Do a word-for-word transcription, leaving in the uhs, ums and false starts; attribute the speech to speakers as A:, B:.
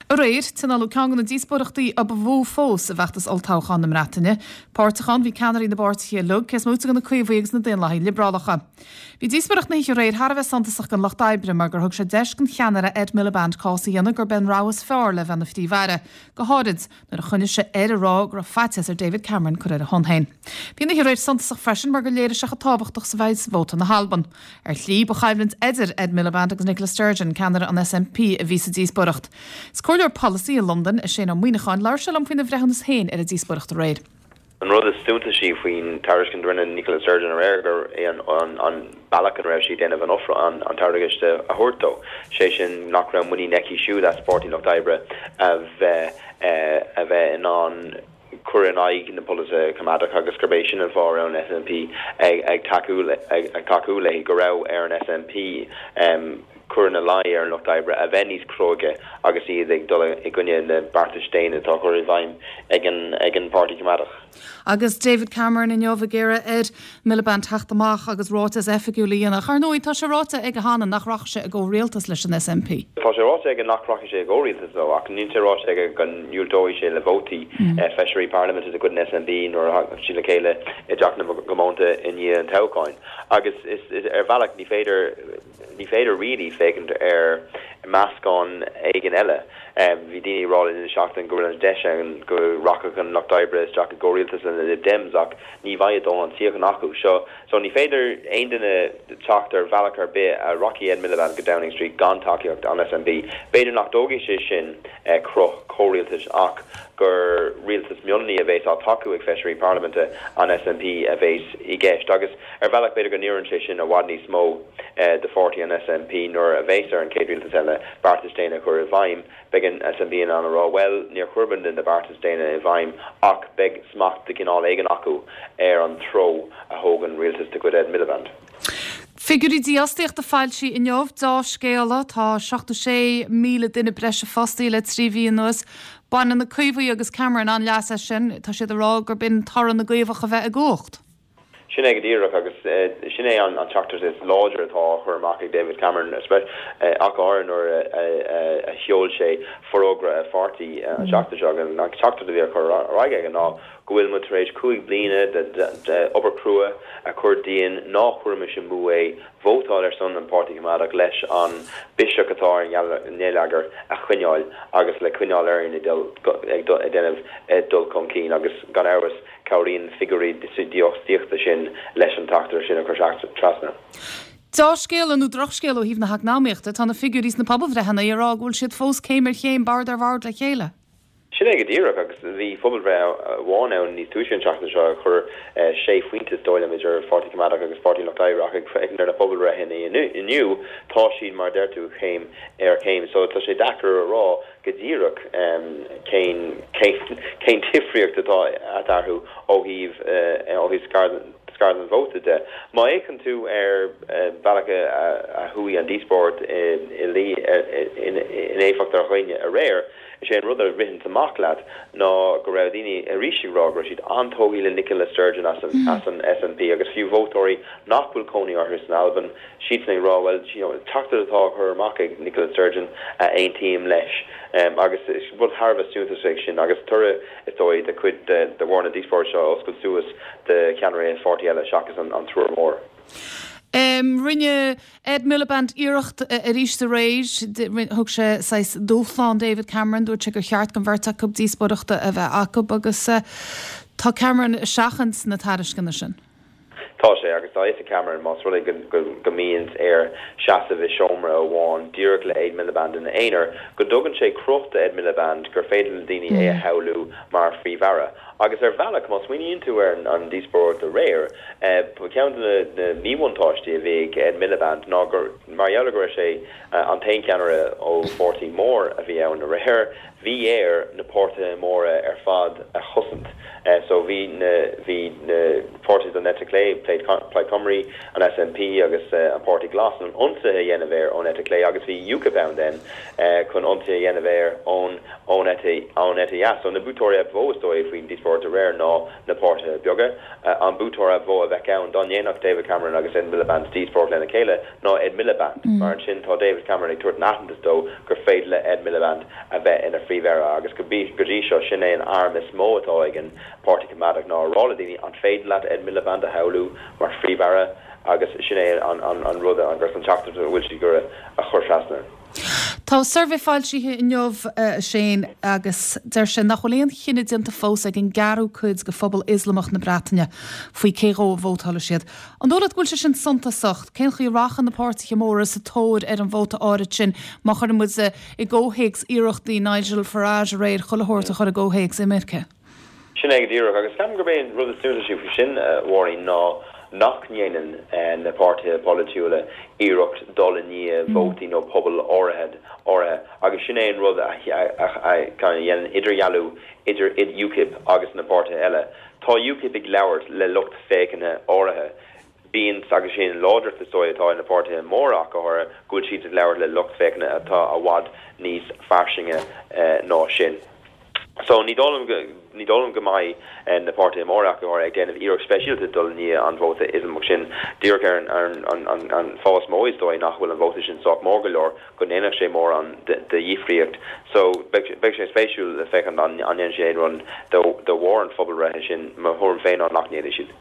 A: Aréir, tionóladh ceann de na díospóireachtaí a ba mhó fós i bhfeachtas olltoghcháin na Breataine. Páirteach ann bhí ceannairí na bpáirtithe uilig, cé is móite de na Caomhaigh agus na Daonlathaigh Liobrálacha. Bhí díospóireacht na hoíche aréir thar a bheith suntasach don Lucht Oibre mar gur thug sé deis don cheannaire Ed Miliband cás a dhéanamh gurb é an rogha is fearr le bheith ina phríomh-aire, go háirid nuair a choinnigh sé air ag rá go raibh faitíos ar David Cameron cur ar a shon féin. Bhí an oíche aréir suntasach freisin mar gur léirigh sé chomh tábhachtach is a bheidh vóta na hAlban. Ar shlí ba choimhlint idir Ed Miliband agus Nicola Sturgeon, ceannaire an SNP a bhí sa díospóireacht. Is comhairleoir polasaí i Londain é Shane Ó Muíneacháin labhair sé liom faoina bhreithiúnas féin ar an díospóireacht aréir.
B: An rud is suntasaí faoin tairiscint a rinne Nicola Sturgeon aréir gur é an, an, an bealach an raibh sí déanamh an ofra an, an tairiscint a thabhairt dó. sé sin nach raibh muinín aici siúd as Páirtí Lucht Oibre a bheith a bheith in ann cur in aghaidh na polasaithe coimeádach agus gurb é sin an fáth raibh an SNP ag, ag tacú ag, ag tacú léi go raibh ar an SNP um, cur ina luí ar an Lucht Oibre a bheith níos cróige agus iad ag dul i gcoinne na beartais déine atá curtha i bhfeidhm ag an ag an Páirtí Coimeádach.
A: Agus David Cameron inniu ag iarraidh ar Miliband teacht amach agus ráiteas oifigiúil a dhéanamh. Ar ndóigh tá sé ráite aige cheana nach rachaidh sé i gcomhrialtas leis an SNP.
B: Tá sé ráite aige nach rachaidh sé i gcomhrialtas leo ach níl sé ráite aige go ndiúltóidh sé le vótaí mm. feisirí parlaiminte de chuid an SNP nuair a sí le chéile i dTeach na gComónta i ndiaidh an toghcháin. Agus is, is ar bhealach ní féidir ní féidir really féachaint ar meascán éigin eile. Um, bhí daoine ag rá an seachtain go bhfuil an deis an go rachadh an Lucht Oibre isteach i gcomhrialtas na Lib Dems ach ní bheidh dóthain suíochán acu. So, so ní féidir aon duine teacht ar bhealach ar bith a rachaidh Ed Miliband go Downing Street gan tacaíocht an SNP. B'fhéidir nach dtógfaidh sé sin eh, cruth comhrialtais ach gur rialtas mionlaigh a bheas á tacú ag feisirí parlaiminte an SNP a bheas i gceist agus ar bhealach b'fhéidir go n-oireann sé sin i bhfad níos mó eh, de pháirtí an SNP nuair a bheas ar an chéad rialtas eile beartas déine chur i bhfeidhm beidh an SNP in ann a rá well níor chuir na beartais déine i bhfeidhm ach beidh smacht de chineál éigin acu ar an treo a thógann rialtas de chuid Ed Miliband.
A: Figiúirí dífhostaíochta foilsithe inniu dea-scéala tá seachtó sé míle duine breise fostaithe le trí mhí anuas. Baineann na Caomhaigh agus Cameron an-leas as sin tá siad ag rá gurb in toradh na gCaomhach a bheith i gcumhacht.
B: Sin é go díreach agus uh, sin é an an teachtaireacht is láidir atá chur amach ag David Cameron uh, ach ar nuair a sheol sé forógra a pháirtí an seachtain seo an teachtaireacht a bhí chur aige ná go bhfuil muid tar éis cúig bliana de obair chrua a chur dínn ná cuirimis amú é vótáil ar son an Páirtí Coimeádach leis an biseach atá ar an ngeilleagar a choinneáil agus le coinneáil ar ag déanamh dul chun cinn agus gan amhras cabhraíonn figiúirí dífhostaíochta sin leis an teachtaireacht sin a chur trasna.
A: Dea-scéal nó drochscéal ó thaobh na heacnamaíochta tá na figiúirí sna pobalbhreitheanna ag rá go bhfuil siad fós céim ar chéim bord ar bhord le chéile.
B: Sin é go díreach agus bhí pobalbhreith amháin ann níos túisce an tseachtain seo chuir sé phointe dóile idir Pháirtí Coimeádach agus Páirtí Lucht Oibre ag ar na pobalbhreitheanna inniu tá siad mar deir tú céim ar chéim, so tá sé deacair a rá go díreach cén cén difríocht atá eatarthu ó thaobh ó thaobh scair an vóta de. Má fhéachann tú ar bhealach a chuaigh an díospóireacht in éifeacht ar dhaoine aréir, Is é an rud a ritheann amach leat ná go raibh daoine arís ag rá go raibh siad an-tógtha le Nicola Sturgeon as an, as an SNP agus fiú vótóirí nach bhfuil cónaí orthu san Albain siad ag rá well teachtaireacht atá chur amach ag Nicola Sturgeon a aontaím leis. Um, agus rud thar a bheith suntasach sin agus toradh is dóigh de chuid de, de bharr na díospóireachta seo oscailt suas de cheannairí an pháirtí eile seachas an, an triúr mór.
A: Um, rinne Ed Miliband iarracht arís aréir thug sé saghas dúshlán David Cameron dúirt sé gur cheart don bheirt acu díospóireacht a bheith acu agus uh, tá Cameron ag seachaint na tairisceana sin.
B: Tá sé agus tá is Cameron más rud go go mbíonn air seasamh i seomra amháin díreach le Ed Miliband ina aonar, go dtugann sé cruth Ed Miliband gur féidir le daoine é a mm. shamhlú mar phríomh-aire. Agus ar bhealach má smaoiníonn tú ar an díospóireacht aréir, eh, ceann de na míbhuntáistí a bhí ag Ed Miliband ná gur mar gheall go sé eh, an t-aon cheannaire ó pháirtí mór a bhí ann aréir, bhí air na páirtithe móra ar fad a chosaint. Uh, so bhí na bhí na páirtithe den eite chlé Plaid Plaid Cymru, an SNP agus uh, an Páirtí Glas chun ionsaithe a dhéanamh air ón eite chlé agus bhí UKIP ann then uh, chun ionsaithe a dhéanamh air ón ón eite ón eite dheas. So na buaiteoirí ba mhó is dóigh faoin díospóireacht aréir ná na páirtithe beaga. Uh, an buaiteoir ba mhó a bheadh ann dá ndéanfadh David Cameron agus Ed Miliband díospóireacht lena chéile ná Ed Miliband. Mm. Mar sin tá David Cameron ag tabhairt aitheantas dó gur féidir le Ed Miliband a bheith ina phríomh-aire agus go go dtí seo sin é an arm is mó atá ag an Páirtí Coimeádach ná rá le daoine an féidir leat Ed Miliband a shamhlú mar phríomh-aire agus sin é an, an, an rud agus an teachtaireacht a bhfuil siad ag a chur trasna.
A: Tá suirbhé foilsithe inniu uh, Shane agus deir sé nach bhfuil aon chinneadh déanta fós ag an gceathrú cuid de phobal Ioslamach na Breataine faoi cé dó a vótálfaidh siad. An dóigh leat go bhfuil sé sin suntasach, cén chaoi a rachaidh na páirtithe móra sa tóir ar an vóta áirid sin má chuireann muid i gcomhthéacs iarrachtaí Nigel Farage aréir chuile shórt a chur i gcomhthéacs imirce.
B: Sin é go díreach agus ceapaim gurb é an rud is suntasaí faoi sin Mháirín ná nach ndéanann na páirtithe polaitiúla iarracht dul i ndiaidh vótaí nó pobal áirithe áirithe agus sin é an rud a dhéanann idirdhealú idir id UKIP agus na páirtithe eile. Tá UKIP ag labhairt le lucht féachana áirithe. Bíonn agus sin láidreacht is dóigh atá na páirtithe móra go háirithe go bhfuil siad ag labhairt le lucht féachana atá i bhfad níos fairsinge ná sin. So ní dóigh ní dóigh go mbeidh na páirtithe móra go ag déanamh iarracht speisialta dul i ndiaidh an vóta Ioslamach sin díreach ar an an an an fáth mó is dóigh nach bhfuil an vóta sin sách mór go leor go ndéanfadh sé mórán de dhifríocht. So beidh sé spéisiúil le féachaint an an sé run de bharr an phobalbhreithe sin mo thuairim féin ná nach ndéanfaidh siad.